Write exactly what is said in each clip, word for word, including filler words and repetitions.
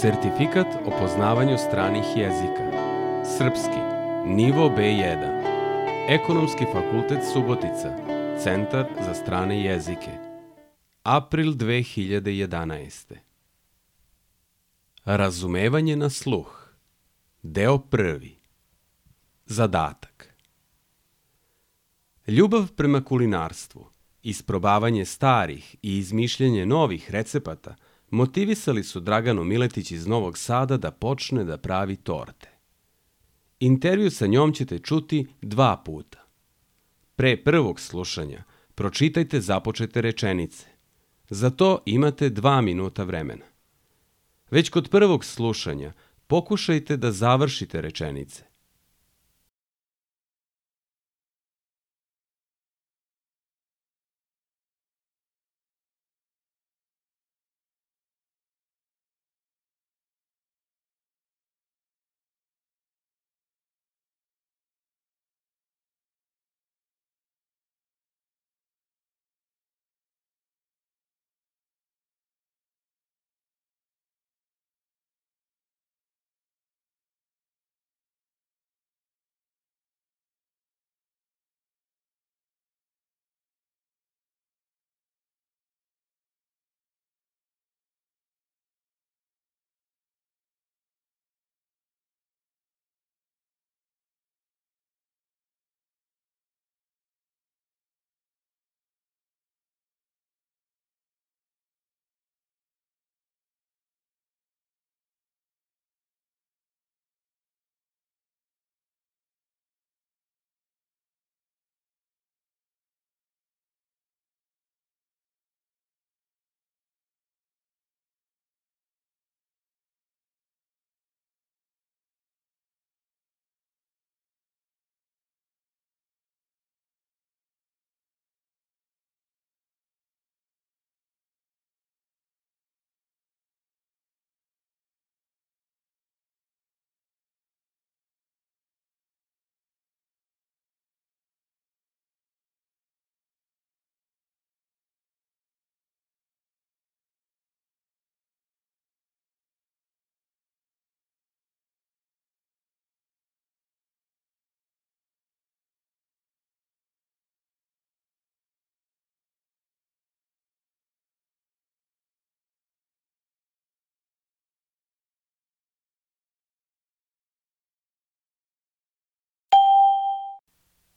Sertifikat o poznavanju stranih jezika. Srpski, nivo be jedan. Ekonomski fakultet Subotica, Centar za strane jezike. April dve hiljade jedanaeste. Razumevanje na sluh. Deo prvi. Zadatak. Ljubav prema kulinarstvu, isprobavanje starih i izmišljanje novih recepata motivisali su Draganu Miletić iz Novog Sada da počne da pravi torte. Intervju sa njom ćete čuti dva puta. Pre prvog slušanja pročitajte započete rečenice. Za to imate dva minuta vremena. Već kod prvog slušanja pokušajte da završite rečenice.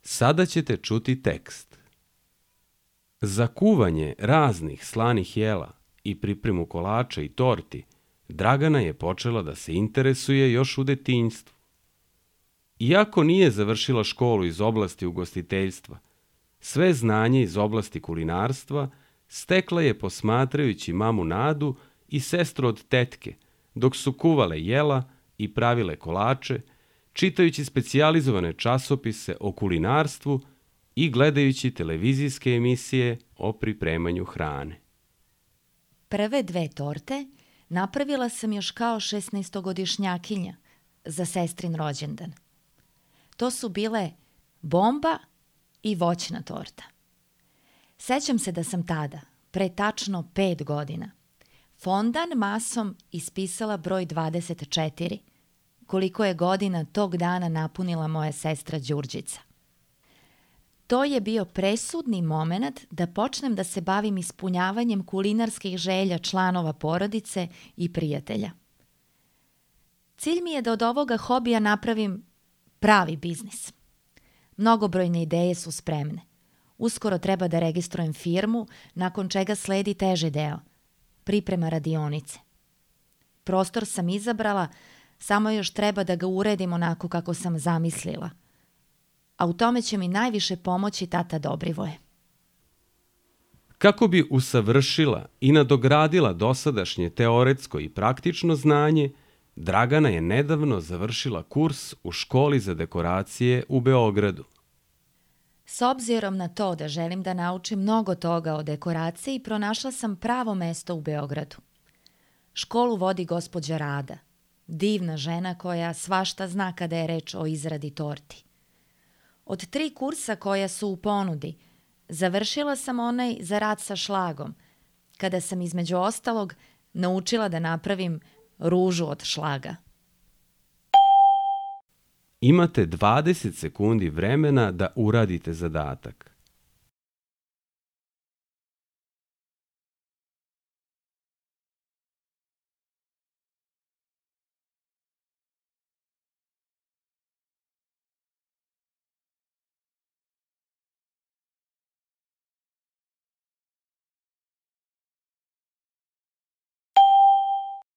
Sada ćete čuti tekst. Za kuvanje raznih slanih jela i pripremu kolača i torti, Dragana je počela da se interesuje još u detinjstvu. Iako nije završila školu iz oblasti ugostiteljstva, sve znanje iz oblasti kulinarstva stekla je posmatrajući mamu Nadu i sestru od tetke, dok su kuvale jela i pravile kolače, čitajući specijalizovane časopise o kulinarstvu i gledajući televizijske emisije o pripremanju hrane. Prve dve torte napravila sam još kao šesnaestogodišnjakinja za sestrin rođendan. To su bile bomba i voćna torta. Sećam se da sam tada, pre tačno pet godina, fondan masom ispisala broj dvadeset četiri, koliko je godina tog dana napunila moja sestra Đurđica. To je bio presudni moment da počnem da se bavim ispunjavanjem kulinarskih želja članova porodice i prijatelja. Cilj mi je da od ovoga hobija napravim pravi biznis. Mnogobrojne ideje su spremne. Uskoro treba da registrujem firmu, nakon čega sledi teži deo, priprema radionice. Prostor sam izabrala, samo još treba da ga uredim onako kako sam zamislila. A u tome će mi najviše pomoći tata Dobrivoje. Kako bi usavršila i nadogradila dosadašnje teoretsko i praktično znanje, Dragana je nedavno završila kurs u školi za dekoracije u Beogradu. S obzirom na to da želim da naučim mnogo toga o dekoraciji, pronašla sam pravo mesto u Beogradu. Školu vodi gospođa Rada, divna žena koja svašta zna kada je reč o izradi torti. Od tri kursa koja su u ponudi, završila sam onaj za rad sa šlagom, kada sam između ostalog naučila da napravim ružu od šlaga. Imate dvadeset sekundi vremena da uradite zadatak.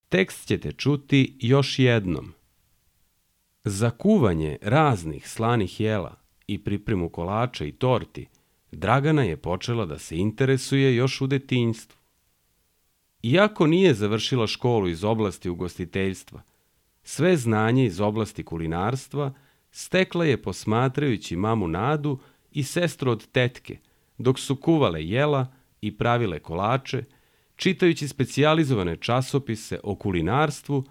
Tekst ćete čuti još jednom. Za kuvanje raznih slanih jela i pripremu kolača i torti, Dragana je počela da se interesuje još u detinjstvu. Iako nije završila školu iz oblasti ugostiteljstva, sve znanje iz oblasti kulinarstva stekla je posmatrajući mamu Nadu i sestru od tetke, dok su kuvale jela i pravile kolače, čitajući specijalizovane časopise o kulinarstvu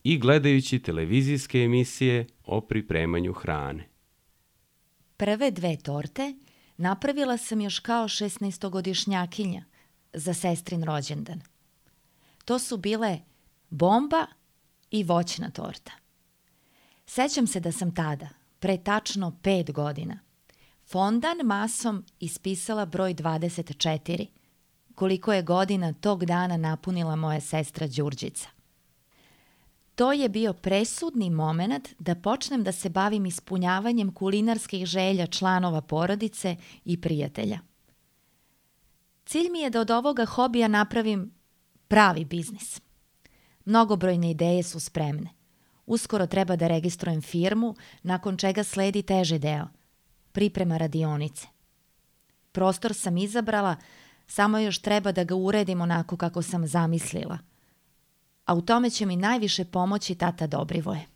i gledajući televizijske emisije o pripremanju hrane. Prve dve torte napravila sam još kao šesnaestogodišnjakinja za sestrin rođendan. To su bile bomba i voćna torta. Sećam se da sam tada, pre tačno pet godina, fondan masom ispisala broj dvadeset četiri, koliko je godina tog dana napunila moja sestra Đurđica. To je bio presudni moment da počnem da se bavim ispunjavanjem kulinarskih želja članova porodice i prijatelja. Cilj mi je da od ovoga hobija napravim pravi biznis. Mnogobrojne ideje su spremne. Uskoro treba da registrujem firmu, nakon čega sledi teži deo, priprema radionice. Prostor sam izabrala, samo još treba da ga uredim onako kako sam zamislila. A u tome će mi najviše pomoći tata Dobrivoje.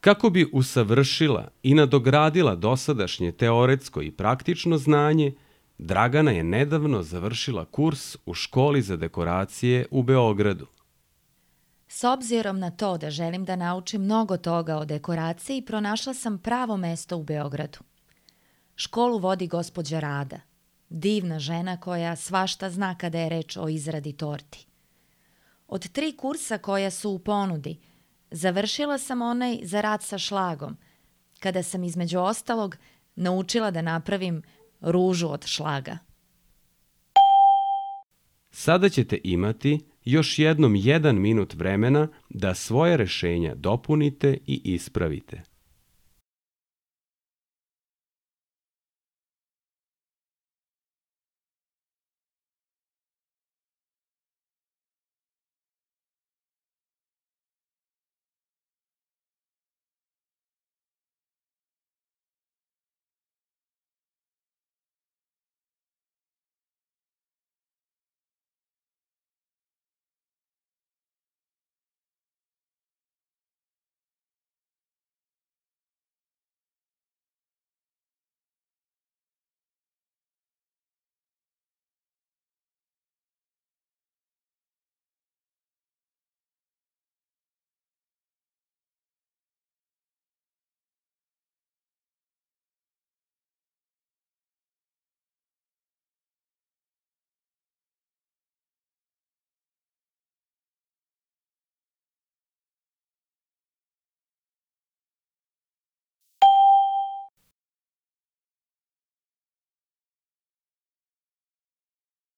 Kako bi usavršila i nadogradila dosadašnje teoretsko i praktično znanje, Dragana je nedavno završila kurs u školi za dekoracije u Beogradu. S obzirom na to da želim da naučim mnogo toga o dekoraciji, pronašla sam pravo mesto u Beogradu. Školu vodi gospođa Rada, divna žena koja svašta zna kada je reč o izradi torti. Od tri kursa koja su u ponudi, završila sam onaj za rad sa šlagom, kada sam između ostalog naučila da napravim ružu od šlaga. Sada ćete imati još jednom jedan minut vremena da svoje rešenja dopunite i ispravite.